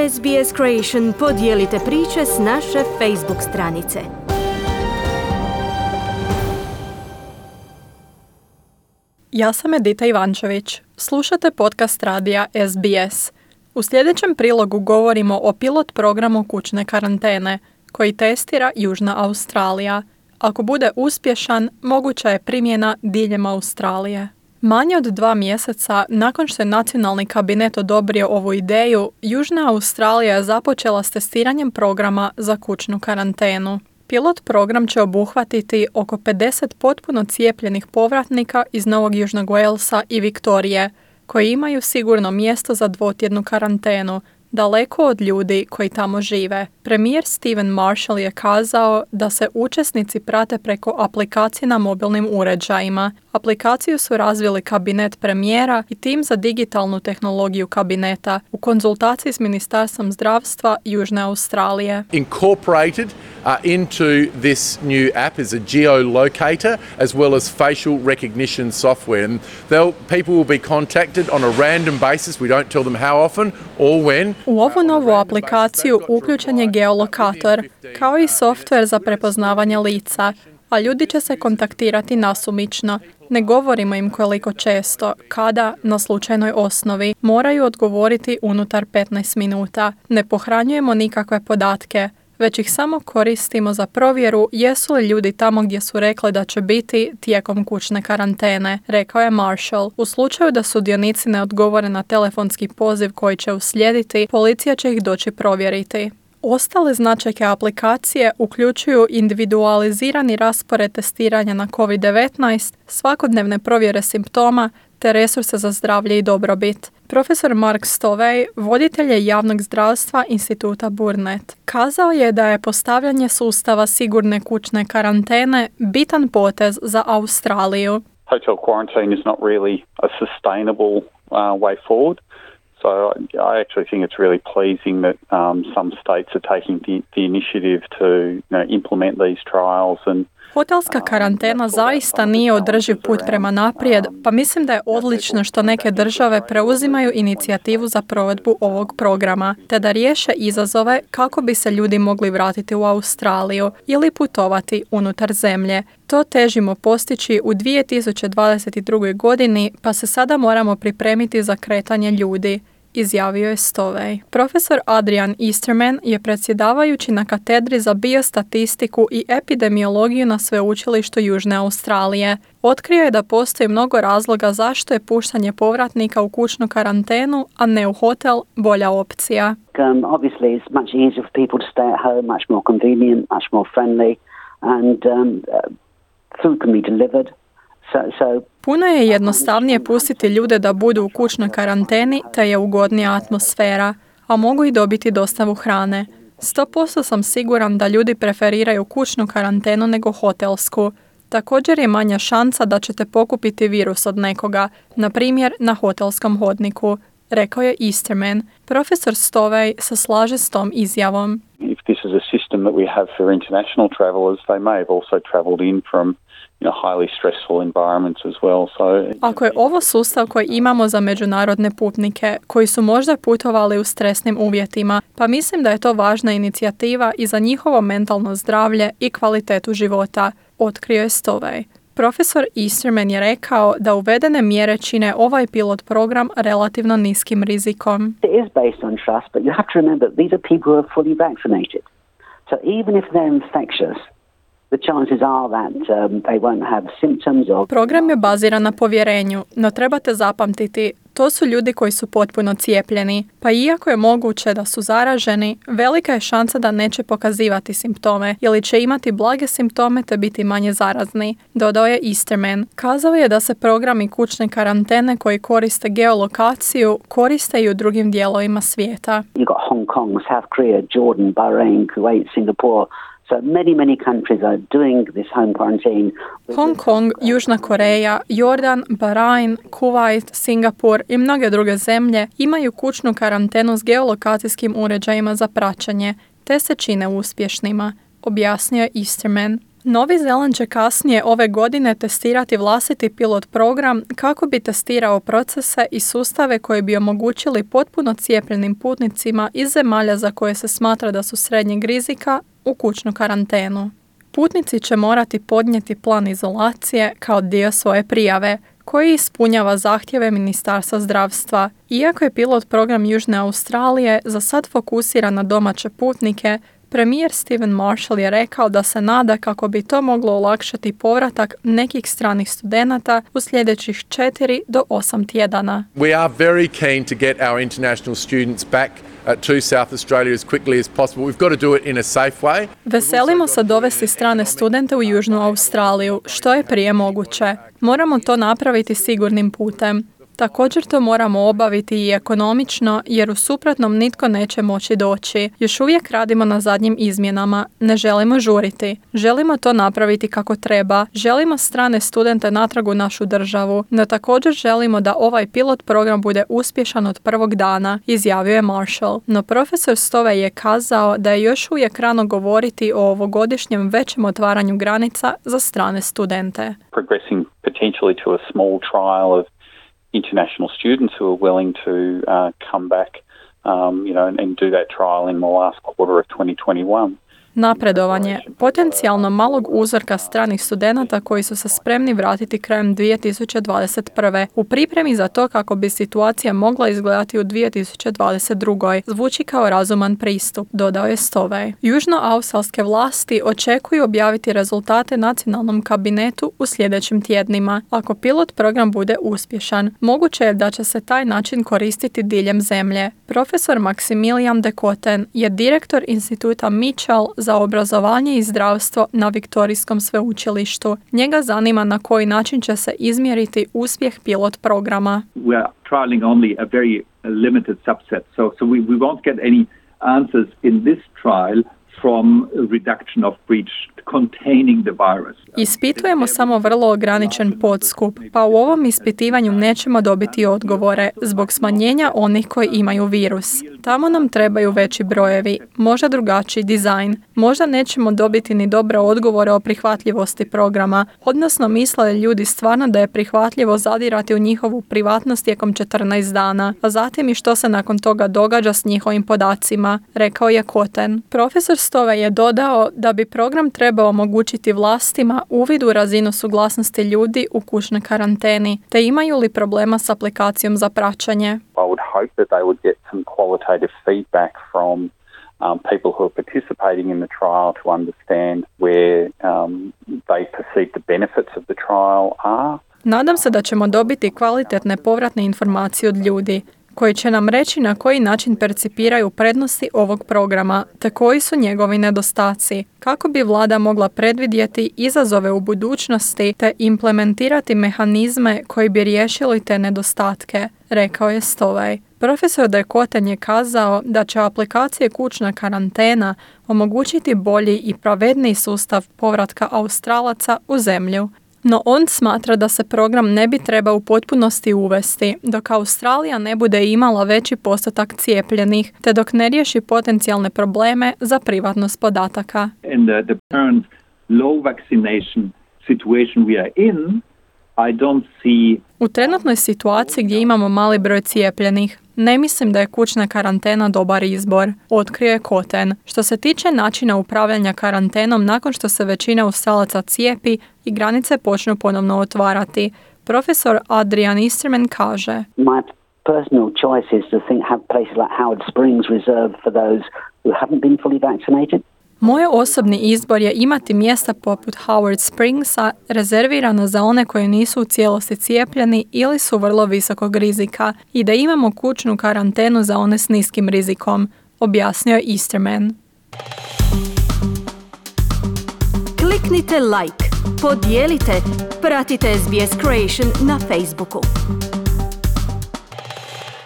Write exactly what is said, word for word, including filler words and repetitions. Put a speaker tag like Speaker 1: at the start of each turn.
Speaker 1: S B S Creation podijelite priče s naše Facebook stranice.
Speaker 2: Ja sam Edita Ivančević. Slušate podcast radija S B S. U sljedećem prilogu govorimo o pilot programu kućne karantene koji testira Južna Australija. Ako bude uspješan, moguća je primjena diljem Australije. Manje od dva mjeseca nakon što je nacionalni kabinet odobrio ovu ideju, Južna Australija je započela s testiranjem programa za kućnu karantenu. Pilot program će obuhvatiti oko pedeset potpuno cijepljenih povratnika iz Novog Južnog Walesa i Viktorije, koji imaju sigurno mjesto za dvotjednu karantenu, daleko od ljudi koji tamo žive. Premijer Stephen Marshall je kazao da se učesnici prate preko aplikacije na mobilnim uređajima. Aplikaciju su razvili kabinet premijera i tim za digitalnu tehnologiju kabineta u konzultaciji s Ministarstvom zdravstva Južne Australije.
Speaker 3: Incorporated uh, into this new app is a geolocator as well as facial recognition software. And they'll, people will be contacted on a random basis. We don't tell them how often or when.
Speaker 2: U ovu novu aplikaciju uključen je geolokator, kao i softver za prepoznavanje lica, a ljudi će se kontaktirati nasumično. Ne govorimo im koliko često, kada, na slučajnoj osnovi, moraju odgovoriti unutar petnaest minuta. Ne pohranjujemo nikakve podatke, već ih samo koristimo za provjeru jesu li ljudi tamo gdje su rekli da će biti tijekom kućne karantene, rekao je Marshall. U slučaju da sudionici ne odgovore na telefonski poziv koji će uslijediti, policija će ih doći provjeriti. Ostale značajke aplikacije uključuju individualizirani raspored testiranja na covid devetnaest, svakodnevne provjere simptoma te resurse za zdravlje i dobrobit. Profesor Mark Stovej, voditelj je javnog zdravstva instituta Burnett, kazao je da je postavljanje sustava sigurne kućne karantene bitan potez za Australiju.
Speaker 4: Hotel quarantine is not really a sustainable uh, way forward. So I actually think it's really pleasing that um, some states are taking the, the initiative to you know, implement these trials and
Speaker 2: Hotelska karantena zaista nije održiv put prema naprijed, pa mislim da je odlično što neke države preuzimaju inicijativu za provedbu ovog programa, te da riješe izazove kako bi se ljudi mogli vratiti u Australiju ili putovati unutar zemlje. To težimo postići u dvije tisuće dvadeset druge. godini, pa se sada moramo pripremiti za kretanje ljudi, izjavio je Stovej. Profesor Adrian Easterman je predsjedavajući na katedri za biostatistiku i epidemiologiju na sveučilištu Južne Australije. Otkrio je da postoji mnogo razloga zašto je puštanje povratnika u kućnu karantenu, a ne u hotel, bolja opcija.
Speaker 5: Um, obviously it's much easier for people to stay at home, much more convenient, much more friendly, and um, uh, food can be delivered. So, so
Speaker 2: Puno je jednostavnije pustiti ljude da budu u kućnoj karanteni, te je ugodnija atmosfera, a mogu i dobiti dostavu hrane. sto posto sam siguran da ljudi preferiraju kućnu karantenu nego hotelsku. Također je manja šansa da ćete pokupiti virus od nekoga, na primjer na hotelskom hodniku, rekao je Easterman. Profesor Stovej se slaže s tom izjavom.
Speaker 4: If this is a system that we have for international travelers, they may have also traveled in from you know, highly stressful environments as well. So,
Speaker 2: Ako je ovo sustav koji imamo za međunarodne putnike, koji su možda putovali u stresnim uvjetima, pa mislim da je to važna inicijativa i za njihovo mentalno zdravlje i kvalitetu života, otkrio je Stovej. Profesor Easterman je rekao da uvedene mjere čine ovaj pilot program relativno niskim rizikom.
Speaker 5: it is based on trust, but you have to remember these are people who are fully vaccinated. So even if they're infectious, the chances are that um, they won't have symptoms or...
Speaker 2: Program je baziran na povjerenju, no trebate zapamtiti, to su ljudi koji su potpuno cijepljeni, pa iako je moguće da su zaraženi, velika je šansa da neće pokazivati simptome ili će imati blage simptome te biti manje zarazni, dodao je Easterman. Kazao je da se programi kućne karantene koji koriste geolokaciju koriste i u drugim dijelovima svijeta.
Speaker 5: You've got Hong Kong, South Korea, Jordan, Bahrain, Kuwait, Singapore. So many, many countries are doing this home quarantine.
Speaker 2: Hong Kong, Južna Koreja, Jordan, Bahrain, Kuwait, Singapur i mnoge druge zemlje imaju kućnu karantenu s geolokacijskim uređajima za praćenje, te se čine uspješnima, objasnio je Easterman. Novi Zeland će kasnije ove godine testirati vlastiti pilot program kako bi testirao procese i sustave koji bi omogućili potpuno cijepljenim putnicima iz zemalja za koje se smatra da su srednjeg rizika u kućnu karantenu. Putnici će morati podnijeti plan izolacije kao dio svoje prijave, koji ispunjava zahtjeve Ministarstva zdravstva. Iako je pilot program Južne Australije za sad fokusiran na domaće putnike, premijer Stephen Marshall je rekao da se nada kako bi to moglo olakšati povratak nekih stranih studenata u sljedećih četiri do osam tjedana.
Speaker 3: We are very keen to get our international students back uh, to South Australia as quickly as possible. We've got to do it in a safe way.
Speaker 2: Veselimo se dovesti strane studente u Južnu Australiju, što je prije moguće. Moramo to napraviti sigurnim putem. Također to moramo obaviti i ekonomično, jer u suprotnom nitko neće moći doći. Još uvijek radimo na zadnjim izmjenama. Ne želimo žuriti. Želimo to napraviti kako treba. Želimo strane studente natrag u našu državu, no također želimo da ovaj pilot program bude uspješan od prvog dana, izjavio je Marshall. No profesor Stovej je kazao da je još uvijek rano govoriti o ovogodišnjem većem otvaranju granica za strane studente.
Speaker 4: Progressing potentially to a small trial of international students who are willing to uh, come back, um, you know, and, and do that trial in the last quarter of twenty twenty-one.
Speaker 2: Napredovanje potencijalno malog uzorka stranih studenata koji su se spremni vratiti krajem dvije tisuće dvadeset prve. U pripremi za to kako bi situacija mogla izgledati u dvije tisuće dvadeset druge. Zvuči kao razuman pristup, dodao je Stovej. Južnoaustralske vlasti očekuju objaviti rezultate nacionalnom kabinetu u sljedećim tjednima. Ako pilot program bude uspješan, moguće je da će se taj način koristiti diljem zemlje. Profesor Maximilian de Koten je direktor instituta Mitchell za obrazovanje i zdravstvo na Viktorijskom sveučilištu. Njega zanima na koji način će se izmjeriti uspjeh pilot programa.
Speaker 6: We are trialing only a very limited subset, so so we we won't get any answers in this trial from reduction of breach containing the virus.
Speaker 2: Ispitujemo samo vrlo ograničen podskup, pa u ovom ispitivanju nećemo dobiti odgovore zbog smanjenja onih koji imaju virus. Tamo nam trebaju veći brojevi, možda drugačiji dizajn. Možda nećemo dobiti ni dobre odgovore o prihvatljivosti programa, odnosno misle li ljudi stvarno da je prihvatljivo zadirati u njihovu privatnost tijekom četrnaest dana, a zatim i što se nakon toga događa s njihovim podacima, rekao je Koten. Profesor Stovej je dodao da bi program trebao omogućiti vlastima uvid u razinu suglasnosti ljudi u kućnoj karanteni, te imaju li problema s aplikacijom za praćenje.
Speaker 4: I would hope that they would get some qualitative feedback from um, people who are participating in the trial to understand where um, they perceive the benefits of the trial are.
Speaker 2: Nadam se da ćemo dobiti kvalitetne povratne informacije od ljudi koji će nam reći na koji način percipiraju prednosti ovog programa, te koji su njegovi nedostaci, kako bi vlada mogla predvidjeti izazove u budućnosti te implementirati mehanizme koji bi riješili te nedostatke, rekao je Stovej. Profesor de Koten je kazao da će aplikacije kućna karantena omogućiti bolji i pravedniji sustav povratka Australaca u zemlju. No on smatra da se program ne bi trebao u potpunosti uvesti, dok Australija ne bude imala veći postotak cijepljenih, te dok ne riješi potencijalne probleme za privatnost podataka.
Speaker 6: In the, the current low vaccination situation we are in, I don't see...
Speaker 2: U trenutnoj situaciji gdje imamo mali broj cijepljenih, ne mislim da je kućna karantena dobar izbor, otkrio je Koten. Što se tiče načina upravljanja karantenom nakon što se većina Australaca cijepi i granice počnu ponovno otvarati, profesor Adrian Easterman kaže:
Speaker 5: My personal choice is to think have places like Howard Springs reserved for those who haven't been fully vaccinated.
Speaker 2: Moj osobni izbor je imati mjesta poput Howard Springsa rezervirana za one koji nisu u cijelosti cijepljeni ili su vrlo visokog rizika i da imamo kućnu karantenu za one s niskim rizikom, objasnio je Easterman.
Speaker 1: Kliknite like, podijelite, pratite S B S Creation na Facebooku.